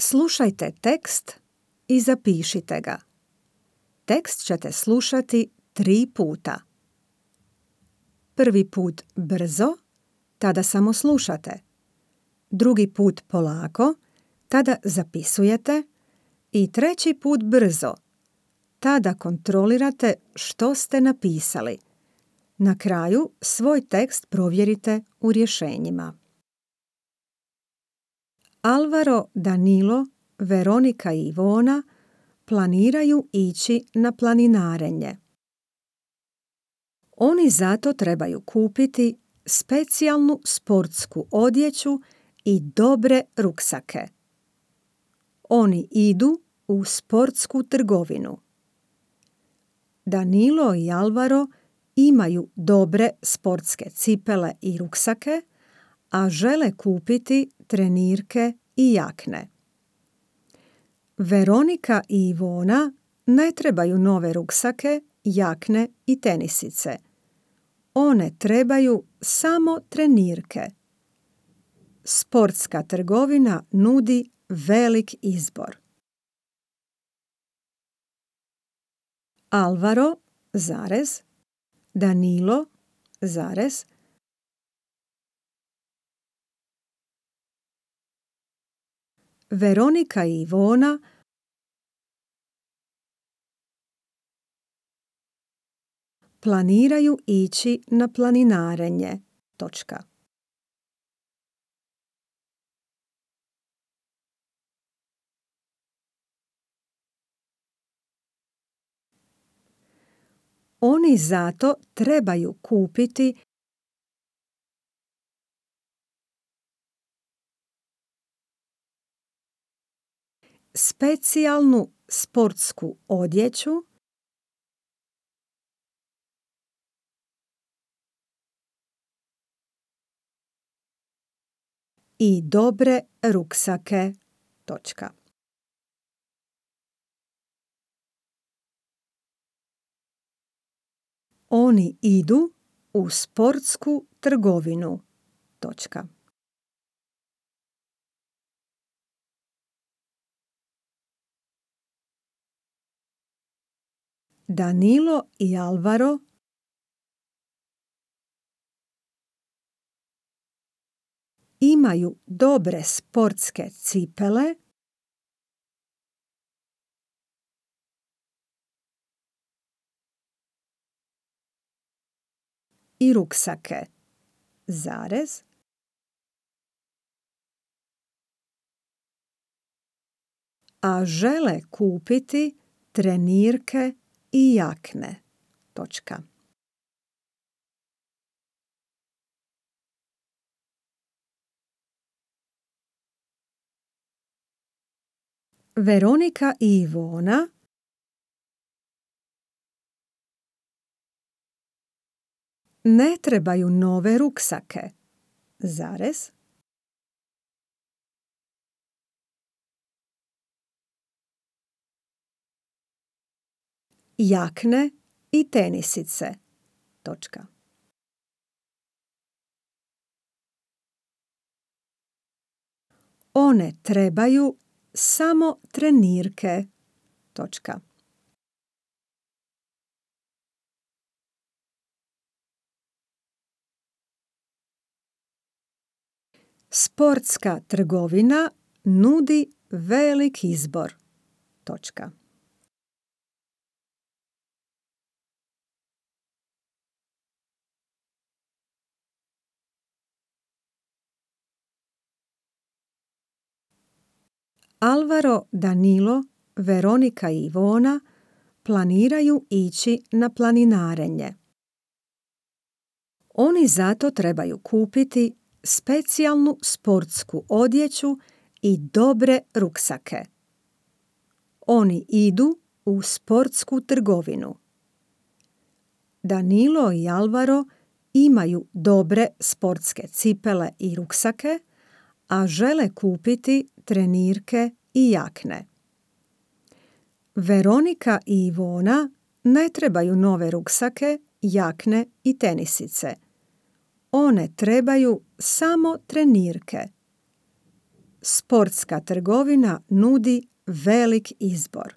Slušajte tekst i zapišite ga. Tekst ćete slušati 3 puta. Prvi put brzo, tada samo slušate. Drugi put polako, tada zapisujete. I treći put brzo, tada kontrolirate što ste napisali. Na kraju svoj tekst provjerite u rješenjima. Alvaro, Danilo, Veronika i Ivona planiraju ići na planinarenje. Oni zato trebaju kupiti specijalnu sportsku odjeću i dobre ruksake. Oni idu u sportsku trgovinu. Danilo i Alvaro imaju dobre sportske cipele i ruksake, a žele kupiti trenirke i jakne. Veronika i Ivona ne trebaju nove ruksake, jakne i tenisice. One trebaju samo trenirke. Sportska trgovina nudi velik izbor. Alvaro, Danilo, Veronika i Ivona planiraju ići na planinarenje. Oni zato trebaju kupiti specijalnu sportsku odjeću i dobre ruksake. Oni idu u sportsku trgovinu. Danilo i Alvaro imaju dobre sportske cipele i ruksake, a žele kupiti trenirke i jakne. Veronika i Ivona ne trebaju nove ruksake, jakne i tenisice. One trebaju samo trenirke. Sportska trgovina nudi velik izbor. Alvaro, Danilo, Veronika i Ivona planiraju ići na planinarenje. Oni zato trebaju kupiti specijalnu sportsku odjeću i dobre ruksake. Oni idu u sportsku trgovinu. Danilo i Alvaro imaju dobre sportske cipele i ruksake, a žele kupiti trenirke i jakne. Veronika i Ivona ne trebaju nove ruksake, jakne i tenisice. One trebaju samo trenirke. sportska trgovina nudi velik izbor.